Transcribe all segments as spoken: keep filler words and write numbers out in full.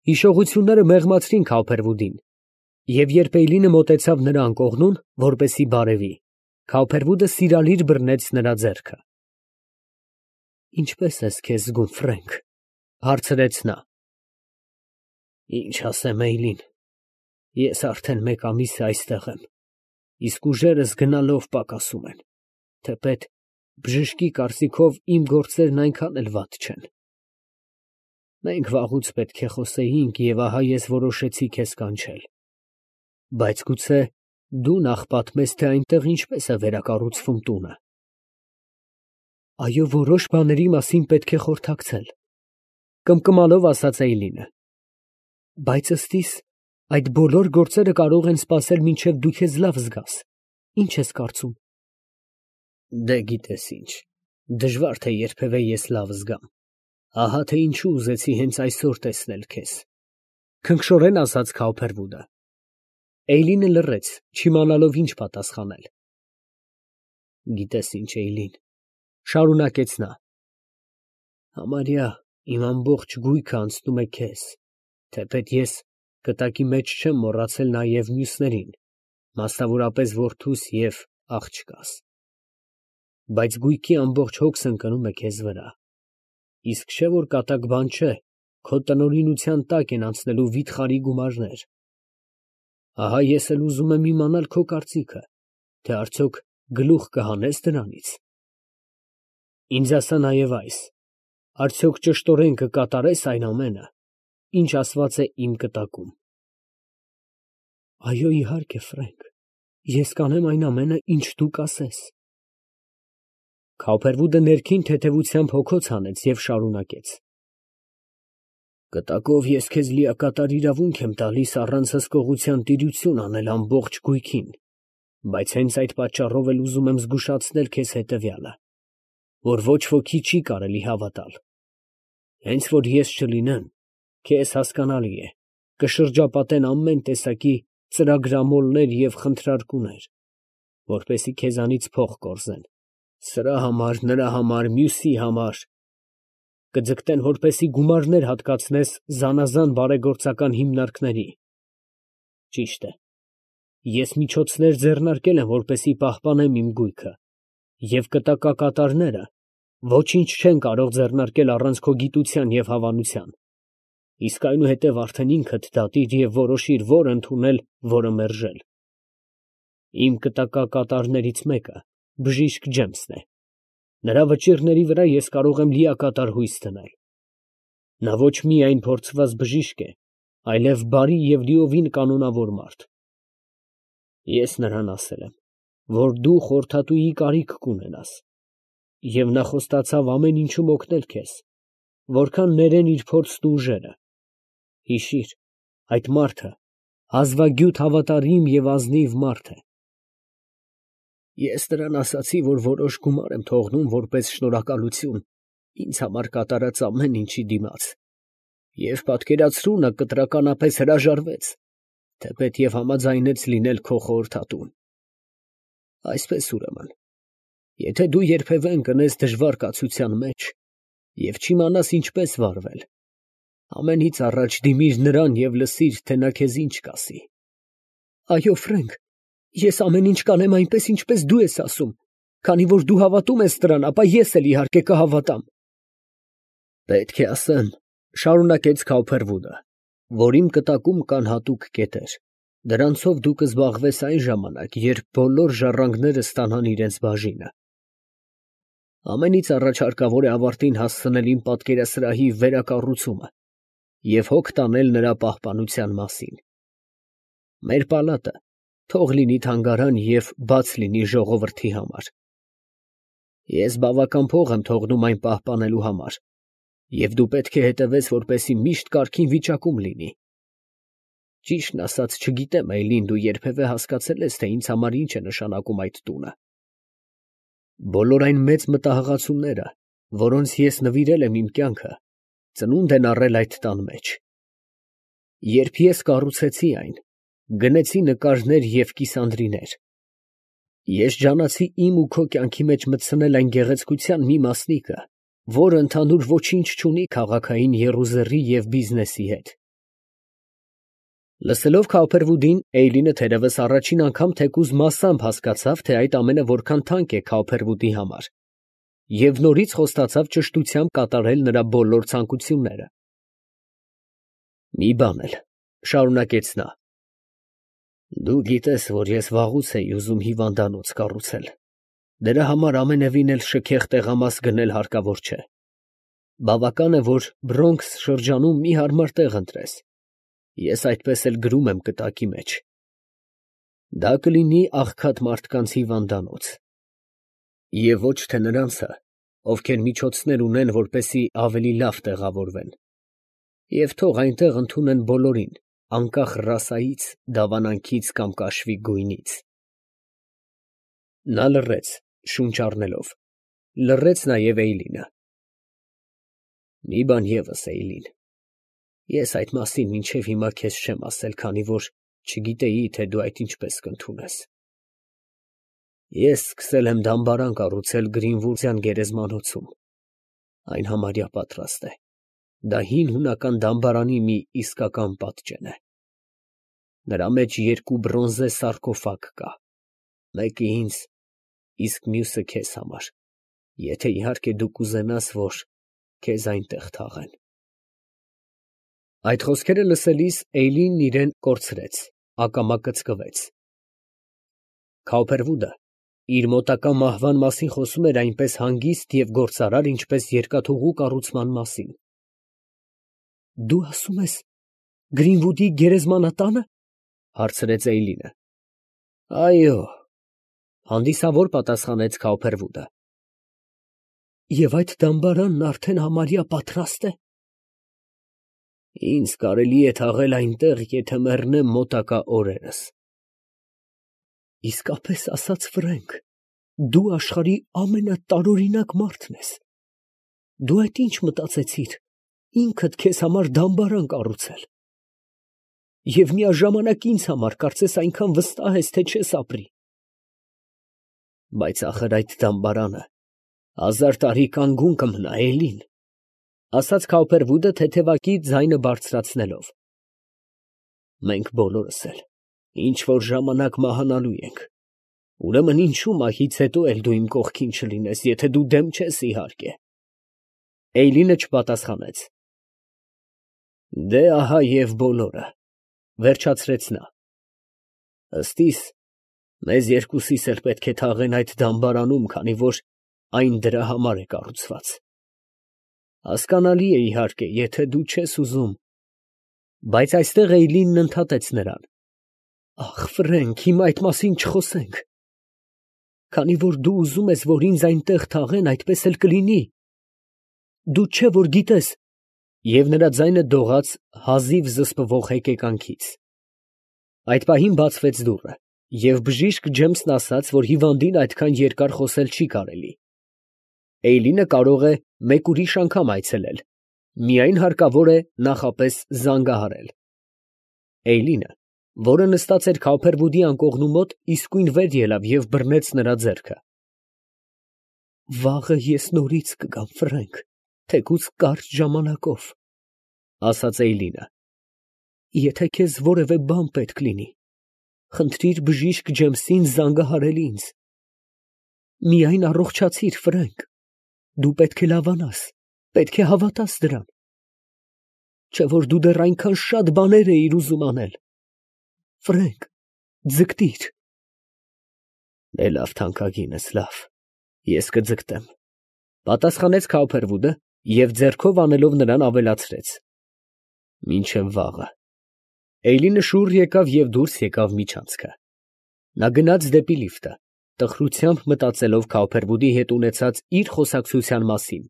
Հիշողությունները մեղմացրին Քավփերվուդին, և երբ Էյլինը մոտեցավ նրա անկողնուն, որպեսզի բարևի, Քավփերվուդը սիրալիր բռնեց նրա ձեռքը։ ֊ Ինչպե՞ս ես քեզ զգում, Ֆրենկ, ֊ հարցրեց նա։ ֊ Ինչ ասեմ, Էյլին, ես արդեն մեկ ամիս է այստեղ եմ, իսկ ուժերս գնալով պակասում են, թեպետ բժշկի կարծիքով իմ գործերն այնքան էլ վատ չեն։ Մենք վաղուց պետք է խոսեինք, և ահա ես որոշեցի քեզ կանչել, բայց գուցե դու նախ պատմես, թե այնտեղ ինչպես է վերակառուցվում տունը։ Այո, որոշ բաների մասին պետք է խորհրդակցել, ֊ կմկմալով ասաց Էյլինը, ֊ բայց ըստ իս այդ բոլոր գործերը կարող են սպասել, մինչև դու քեզ լավ զգաս, ի՞նչ ես կարծում։ Դե գիտես ինչ, դժվար թե երբևէ ես լավ զգամ, ահա թե ինչու ուզեցի հենց այսօր տեսնել քեզ, ֊ քնքշորեն ասաց Քավփերվուդը։ Էյլինը լռեց, չիմանալով ինչ պատասխանել։ Գիտես ինչ, Էյլին, ֊ շարունակեց նա, ֊ համարյա իմ ամբողջ գույքը անցնում է քեզ, թեպետ ես կտակի մեջ չեմ մոռացել նաև մյուսներին, մասնավորապես որդուս և աղջկաս, բայց գույքի ամբողջ հոգս ընկնում է քեզ վրա, իսկ չէ՞ որ կատակ բան չէ, քո տնօրինության տակ են անցնելու վիթխարի գումարներ։ Ահա ես էլ ուզում եմ իմանալ քո կարծիքը, թե արդյոք գլուխ կհանե՞ս դրանից։ Ինձ ասա նաև այս. արդյոք ճշտորեն կկատարե՞ս այն ամենը, ինչ ասված է իմ կտակում։ Այո, իհարկե, Ֆրենկ, ես կանեմ այն ամենը, ինչ դու կասես։ Քավփերվուդը ներքին թեթևությամբ հոգոց հանեց և շարունակեց. Կտակով ես քեզ լիակատար իրավունք եմ տալիս առանց հսկողության տիրություն անել ամբողջ գույքին, բայց հենց այդ պատճառով էլ ուզում եմ զգուշացնել քեզ հետևյալը, որ ոչ ոքի չի կարելի հավատալ։ Հենց որ ես չլինեմ, քեզ, հասկանալի է, կշրջապատեն ամեն տեսակի ծրագրամոլներ և խնդրարկուներ, որպեսզի քեզանից փող կորզեն, սրա համար, նրա համար, մյուսի համար, կձգտեն, որպեսզի գումարներ հատկացնես զանազան բարեգործական հիմնարկների։ Ճիշտ է, ես միջոցներ ձեռնարկել եմ, որպեսզի պահպանեմ իմ գույքը, և կտակակատարները ոչինչ չեն կարող ձեռնարկել առանց քո գիտության և հավանության, իսկ այնուհետև արդեն ինքդ դատիր և որոշիր, որ ընդունել, որը մերժել։ Իմ կտակակատարներից մեկը բժիշկ Ջեմսն է, նրա վճիռների վրա ես կարող եմ լիակատար հույս դնել։ Նա ոչ միայն փորձված բժիշկ է, այլև բարի և լիովին կանոնավոր մարդ։ Ես նրան ասել եմ, որ դու խորհրդատուի կարիք կունենաս, և նա խոստացավ ամեն ինչում օգնել քեզ, որքան ներեն իր փորձն ու ուժերը։ Հիշիր, այդ մարդը հազվագյուտ հավատարիմ և ազնիվ մարդ է։ Ես նրան ասացի, որ որոշ գումար եմ թողնում որպես շնորհակալություն ինձ համար կատարած ամեն ինչի դիմաց, և պատկերացրու, նա կտրականապես հրաժարվեց, թեպետ և համաձայնեց լինել քո խորհրդատուն։ Այսպես, ուրեմն, եթե դու երբևէ ընկնես դժվար կացության մեջ և չիմանաս ինչպես վարվել, ամենից առաջ դիմիր նրան և լսիր, թե նա քեզ ինչ կասի։ Այո, Ֆրենկ, ես ամեն ինչ կանեմ այնպես, ինչպես դու ես ասում, քանի որ դու հավատում ես դրան, ապա ես էլ իհարկե կհավատամ։ Պետք է ասեմ, ֊ շարունակեց Քավփերվուդը, ֊ որ իմ կտակում կան հատուկ կետեր, դրանցով դու կզբաղվես այն ժամանակ, երբ բոլոր ժառանգները ստանան իրենց բաժինը։ Ամենից առաջ հարկավոր է ավարտին հասցնել իմ պատկերասրահի վերակառուցումը և հոգ տանել նրա պահպանության մասին։ Մեր պալատը թող լինի թանգարան և բաց լինի ժողովրդի համար։ Ես բավական փող եմ թողնում այն պահպանելու համար, և դու պետք է հետևես, որպեսզի միշտ կարգին վիճակում լինի։ Ճիշտն ասած, չգիտեմ, Էյլին, դու երբևէ հասկացե՞լ ես, թե ինձ համար ինչ է նշանակում այդ տունը։ Բոլոր այն մեծ մտահղացումները, որոնց ես նվիրել եմ իմ կյանքը, ծնունդ են առել այդ տան մեջ։ Երբ ես կառուցեցի այն, գնեցի նկարներ և կիսանդրիներ։ Ես ջանացի իմ ու քո կյանքի մեջ մտցնել այն գեղեցկության մի մասնիկը, որը ընդհանուր ոչինչ չունի քաղաքային եռուզեռի և բիզնեսի հետ, Լսելով Քավփերվուդին, Էյլինը թերևս առաջին անգամ թեկուզ մասամբ հասկացավ, թե այդ ամենը որքան թանկ է Քավփերվուդի համար, և նորից խոստացավ ճշտությամբ կատարել նրա բոլոր ցանկությունները։ «Մի բան էլ, ֊ շարունակեց նա, ֊ դու գիտես, որ ես վաղուց էի ուզում հիվանդանոց կառուցել, դրա համար ամենևին էլ շքեղ տեղամաս գնել հարկավոր չէ, բավական է, որ Բրոնքս շրջանում մի հարմար տեղ ընտրես, ես այդպես էլ գրում եմ կտակի մեջ. դա կլինի աղքատ մարդկանց հիվանդանոց, և ոչ թե նրանցը, ովքեր միջոցներ ունեն, որպեսզի ավելի լավ տեղավորվեն, և թող այնտեղ ընդունեն բոլորին, անկախ ռասայից, դավանանքից կամ կաշվի գույնից»։ Նա լռեց, շունչ առնելով, լռեց նաև Էյլինը։ «Մի բան ևս, Էյլին, ես այդ մասին մինչև հիմա քեզ չեմ ասել, քանի որ չգիտեի, թե դու այդ ինչպես կընդունես։ Ես սկսել եմ դամբարան կառուցել Գրինվուդյան գերեզմանոցում, այն համարյա պատրաստ է, դա հին հունական դամբարանի մի իսկական պատճեն է։ Նրա մեջ երկու բրոնզե սարկոֆագ կա, մեկը ինձ, իսկ մյուսը քեզ համար, եթե իհարկե դու կուզենաս, որ քեզ այնտեղ թաղեն»։ Այդ խոսքերը լսելիս Էյլինն իրան կորցրեց, ակամա կծկվեց։ Քավփերվուդը իր մոտակա մահվան մասին խոսում էր այնպես հանգիստ և գործարար, ինչպես երկաթուղու կառուցման մասին։ «Դու ասում ես Գրինվուդի գերեզմանատա՞նը» ֊ հարցրեց Էյլինը։ «Այո», ֊ հանդիսավոր պատասխանեց Քավփերվուդը։ «Եվ այդ դամբարանն արդեն համարյա պատրաստ է»։ «Ինձ կարելի է թաղել այնտեղ, եթե մեռնեմ մոտակա օրերս»։ «Իսկապես ասած, Ֆրենք, դու աշխարհի ամենատարօրինակ մարդն ես։ Դու այդ ի՞նչ մտածեցիր, ինքդ քեզ համար դամբարան կառուցել։ Եվ միաժամանակ ինձ համար կարծես այնքան վստահ ես, թե չես ապրի»։ «Բայց ախր այդ դամբարանը հազար տարի կանգուն կմնա, Էյլին», ֊ ասաց Քավփերվուդը թեթևակի ձայնը բարձրացնելով։ «Մենք բոլորս էլ ինչ որ ժամանակ մահանալու ենք, ուրեմն ինչո՞ւ մահից հետո էլ դու իմ կողքին չլինես, եթե դու դեմ չես, իհարկե»։ Էյլինը չպատասխանեց։ «Դե ահա և բոլորը», ֊ վերջացրեց նա։ «Ըստ իս, մեզ երկուսիս էլ պետք է թաղեն այդ դամբարանում, քանի որ այն դրա համար է կառուցված։ Հասկանալի է, իհարկե, եթե դու չես ուզում…» Բայց այստեղ Էյլինն ընդհատեց նրան. «Ախ, Ֆրենք, հիմա այդ մասին չխոսենք։ Քանի որ դու ուզում ես, որ ինձ այնտեղ թաղեն, այդպես էլ կլինի։ Դու չէ՞ որ գիտես…» Եվ նրա ձայնը դողաց հազիվ զսպվող հեկեկանքից։ Այդ պահին բացվեց դուռը, և բժիշկ Ջեմսն ասաց, որ հիվանդին այդքան երկար խոսել չի կարելի։ Էյլինը կարող է մեկ ուրիշ անգամ այցելել, միայն հարկավոր է նախապես զանգահարել։ Էյլինը, որը նստած էր Քավփերվուդի անկողնու մոտ, իսկույն վեր ելավ և բռնեց նրա ձեռքը։ «Վաղը ես նորից կգամ, Ֆրենք, թեկուզ կարճ ժամանակով», ֊ ասաց Էյլինը։ «Եթե քեզ որևէ բան պետք լինի, խնդրիր բժիշկ Ջեմսին զանգահարել ինձ։ Միայն առողջացիր, Ֆրենք, դու պետք է լավանաս, պետք է հավատաս դրան, չէ՞ որ դու դեռ այնքան շատ բաներ էիր ուզում անել։ Ֆրենկ, ձգտիր»։ «Դե լավ, թանկագինս, լավ, ես կձգտեմ», ֊ պատասխանեց Քավփերվուդը և ձեռքով անելով նրան ավելացրեց. «Մինչև վաղը»։ Էյլինը շուռ եկավ և դուրս եկավ միջանցքը։ Նա գնաց դեպի լիֆտը, տխրությամբ մտածելով Քավփերվուդի հետ ունեցած իր խոսակցության մասին,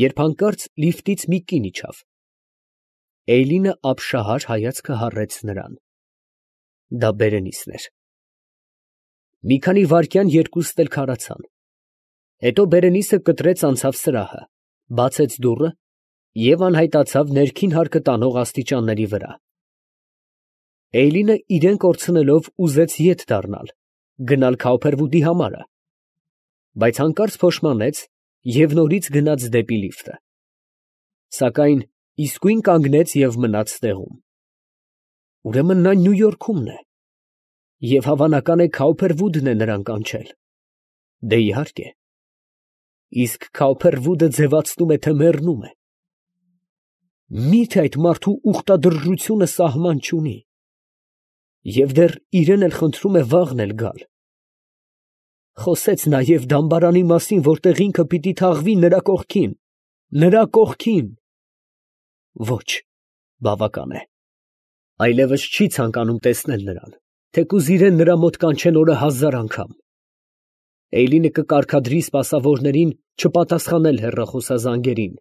երբ հանկարծ լիֆտից մի կին իջավ։ Էյլինը ապշահար հայացքը հառեց նրան։ Դա Բերենիսն էր։ Մի քանի վայրկյան երկուստ էլ քարացան։ Հետո Բերենիսը կտրեց անցավ սրահը, բացեց դուռը և անհայտացավ ներքին հարկը տանող աստիճանների վրա։ Էյլինը իրան կորցնելով ուզեց ետ դառնալ, գնալ Քավփերվուդի համարը, բայց հանկարծ փոշմանեց և նորից գնաց դեպի լիֆտը, սակայն իսկույն կանգնեց և մնաց տեղում։ Ուրեմն նա Նյու Յորքում է, և հավանական է Քաուփերվուդն է նրան կանչել։ Դե իհարկե, իսկ Քաուփերվուդը ձևացնում է, թե մեռնում է։ Մի՞թե այդ մարդու ուխտադրժությունը սահման չունի, և դեռ իրեն էլ խնդրում է վաղն էլ գալ։ Խոսեց նաև դամբարանի մասին, որտեղ ինքը պիտի թաղվի նրա կողքին, նրա կողքին… Ոչ, բավական է, այլևս չի ցանկանում տեսնել նրան, թեկուզ իրեն նրա մոտ կանչեն օրը հազար անգամ։ Էյլինը կկարգադրի սպասավորներին չպատասխանել հեռախոսազանգերին,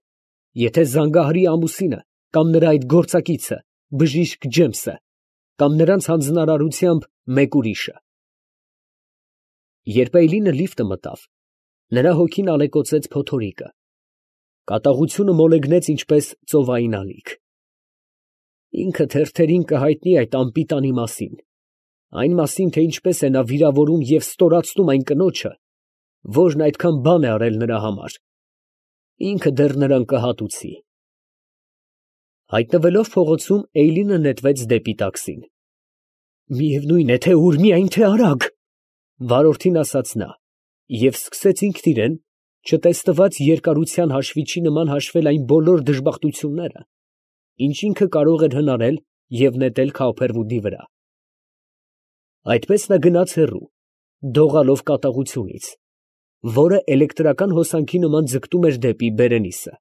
եթե զանգահարի ամուսինը կամ նրա այդ գործակիցը, բժիշկ Ջեմսը, կամ նրանց հանձնարարությամբ մեկ ուրիշը։ Երբ Էյլինը լիֆտը մտավ, նրա հոգին ալեկոծեց փոթորիկը, կատաղությունը մոլեգնեց ինչպես ծովային ալիք։ Ինքը թերթերին կհայտնի այդ անպիտանի մասին, այն մասին, թե ինչպես է նա վիրավորում և ստորացնում այն կնոջը, որն այդքան բան է արել նրա համար, ինքը դեռ նրան կհատուցի։ Հայտնվելով փողոցում, Էյլինը նետվեց դեպի տաքսին։ Միևնույն է, թե ուր, միայն թե արագ, վարորդին ասաց նա, և սկսեց ինքն իրան չտեսնված երկարության հաշվիչի նման հաշվել այն բոլոր դժբախտությունները, ինչ ինքը կարող էր հնարել և նետել Քաուփերվուդի վրա։ Այդպես նա գնաց հեռու, դողալով կատաղությունից, որը էլեկտրական հոսանքի նման ձգտում էր դեպի Բերենիսը։